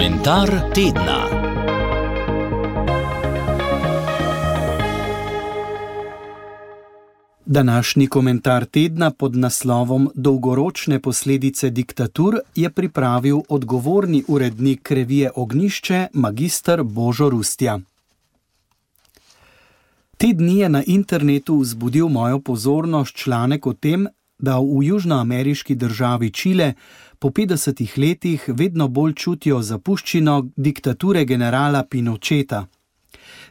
Komentar tedna. Današnji komentar tedna pod naslovom Dolgoročne posledice diktatur je pripravil odgovorni urednik revije Ognjišče, magister Božo Rustja. Te dni je na internetu vzbudil mojo pozornost članek o tem, da v južnoameriški državi Čile po 50 letih vedno bolj čutijo zapuščino diktature generala Pinocheta.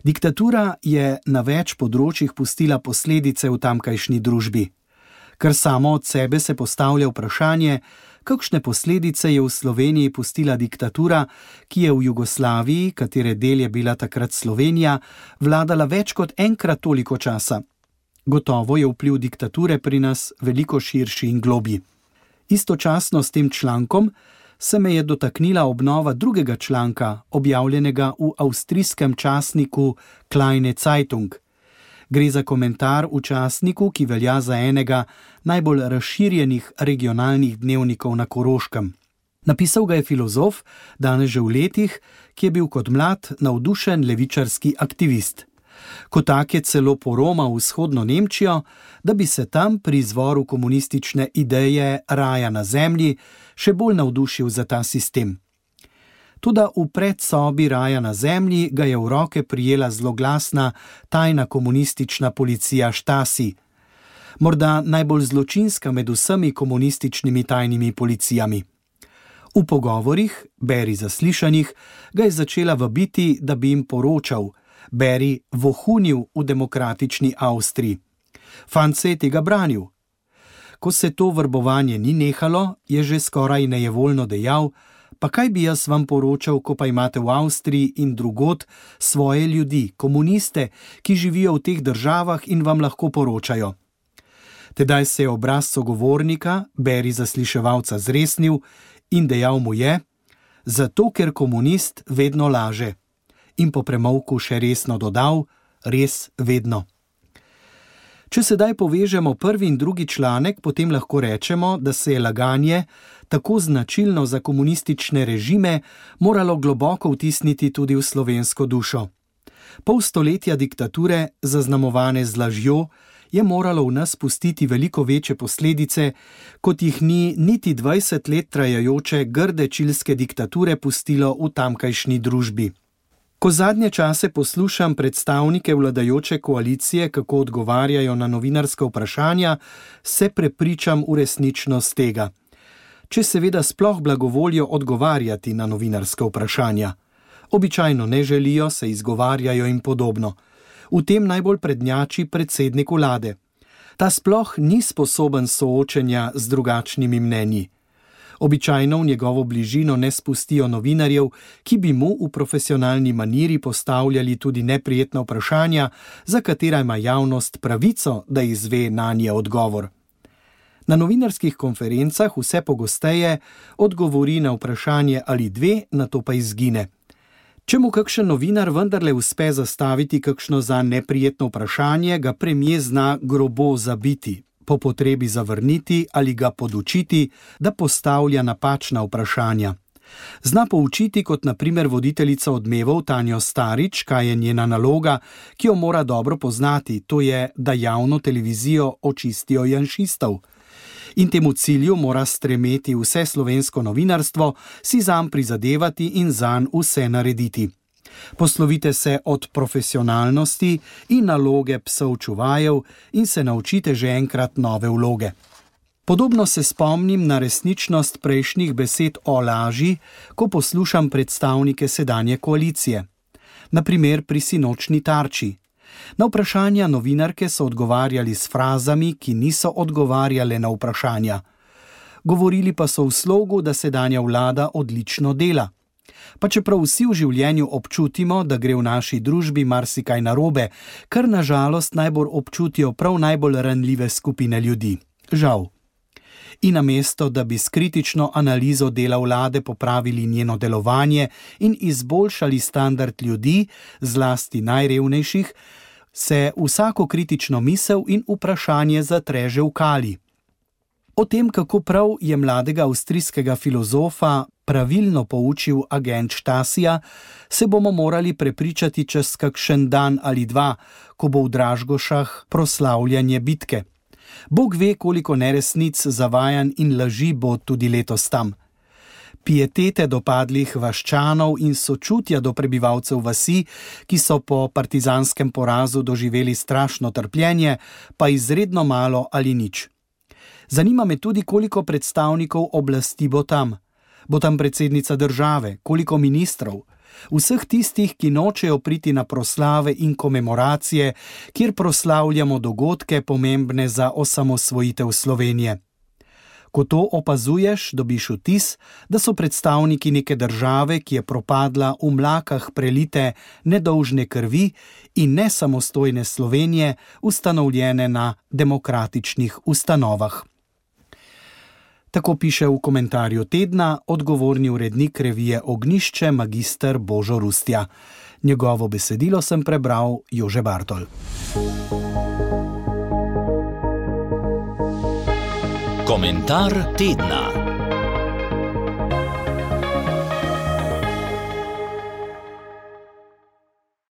Diktatura je na več področjih pustila posledice v tamkajšnji družbi. Kar samo od sebe se postavlja vprašanje, kakšne posledice je v Sloveniji pustila diktatura, ki je v Jugoslaviji, katere del je bila takrat Slovenija, vladala več kot enkrat toliko časa. Gotovo je vpliv diktature pri nas veliko širši in globji. Istočasno s tem člankom se me je dotaknila obnova drugega članka, objavljenega v avstrijskem časniku Kleine Zeitung. Gre za komentar v časniku, ki velja za enega najbolj razširjenih regionalnih dnevnikov na Koroškem. Napisal ga je filozof, danes že v letih, ki je bil kot mlad navdušen levičarski aktivist. Kot tak je celo poromal v vzhodno Nemčijo, da bi se tam pri izvoru komunistične ideje raja na zemlji še bolj navdušil za ta sistem. Toda v predsobi raja na zemlji ga je v roke prijela zloglasna tajna komunistična policija Stasi. Morda najbolj zločinska med vsemi komunističnimi tajnimi policijami. V pogovorih, beri zaslišanjih, ga je začela vabiti, da bi jim poročal, beri vohunil v demokratični Avstriji. Fant se je tega branil. Ko se to vrbovanje ni nehalo, je že skoraj nejevoljno dejal, pa kaj bi jaz vam poročal, ko pa imate v Avstriji in drugod svoje ljudi, komuniste, ki živijo v teh državah in vam lahko poročajo. Tedaj se je obraz sogovornika, beri zasliševalca, zresnil in dejal mu je, zato ker komunist vedno laže. In po premolku še resno dodal, res vedno. Če sedaj povežemo prvi in drugi članek, potem lahko rečemo, da se je laganje, tako značilno za komunistične režime, moralo globoko vtisniti tudi v slovensko dušo. Pol stoletja diktature, zaznamovane z lažjo, je moralo v nas pustiti veliko večje posledice, kot jih ni niti 20 let trajajoče grde čilske diktature pustilo v tamkajšnji družbi. Ko zadnje čase poslušam predstavnike vladajoče koalicije, kako odgovarjajo na novinarska vprašanja, se prepričam v resničnost tega. Če seveda sploh blagovolijo odgovarjati na novinarska vprašanja. Običajno ne želijo, se izgovarjajo in podobno. V tem najbolj prednjači predsednik vlade. Ta sploh ni sposoben soočenja z drugačnimi mnenji. Običajno v njegovo bližino ne spustijo novinarjev, ki bi mu v profesionalni maniri postavljali tudi neprijetna vprašanja, za katera ima javnost pravico, da izve nanje odgovor. Na novinarskih konferencah vse pogosteje odgovori na vprašanje ali dve, nato pa izgine. Če mu kakšen novinar vendarle uspe zastaviti kakšno za neprijetno vprašanje, ga premier zna grobo zabiti, po potrebi zavrniti ali ga podučiti, da postavlja napačna vprašanja. Zna poučiti kot na primer voditeljica Odmevov Tanjo Starič, kaj je njena naloga, ki jo mora dobro poznati, to je, da javno televizijo očistijo janšistov. In temu cilju mora stremeti vse slovensko novinarstvo, si zanj prizadevati in zanj vse narediti. Poslovite se od profesionalnosti in naloge psov čuvajev in se naučite že enkrat nove vloge. Podobno se spomnim na resničnost prejšnjih besed o laži, ko poslušam predstavnike sedanje koalicije. Na primer pri sinočni Tarči. Na vprašanja novinarke so odgovarjali s frazami, ki niso odgovarjale na vprašanja. Govorili pa so v slogu, da sedanja vlada odlično dela. Pa čeprav vsi v življenju občutimo, da gre v naši družbi marsikaj narobe, kar na žalost najbolj občutijo prav najbolj ranljive skupine ljudi. Žal. In namesto, da bi s kritično analizo dela vlade popravili njeno delovanje in izboljšali standard ljudi, zlasti najrevnejših, se vsako kritično misel in vprašanje zatreže v kali. O tem, kako prav je mladega avstrijskega filozofa pravilno poučil agent Štasija, se bomo morali prepričati čez kakšen dan ali dva, ko bo v Dražgošah proslavljanje bitke. Bog ve, koliko neresnic, zavajanj in laži bo tudi letos tam. Pietete do padlih vaščanov in sočutja do prebivalcev vasi, ki so po partizanskem porazu doživeli strašno trpljenje, pa izredno malo ali nič. Zanima me tudi, koliko predstavnikov oblasti bo tam. Bo tam predsednica države, koliko ministrov, vseh tistih, ki nočejo priti na proslave in komemoracije, kjer proslavljamo dogodke pomembne za osamosvojitev Slovenije. Ko to opazuješ, dobiš vtis, da so predstavniki neke države, ki je propadla v mlakah prelite nedolžne krvi in nesamostojne Slovenije, ustanovljene na demokratičnih ustanovah. Tako piše v komentarju tedna odgovorni urednik revije Ognjišče magister Božo Rustja. Njegovo besedilo sem prebral Jože Bartol. Komentar tedna.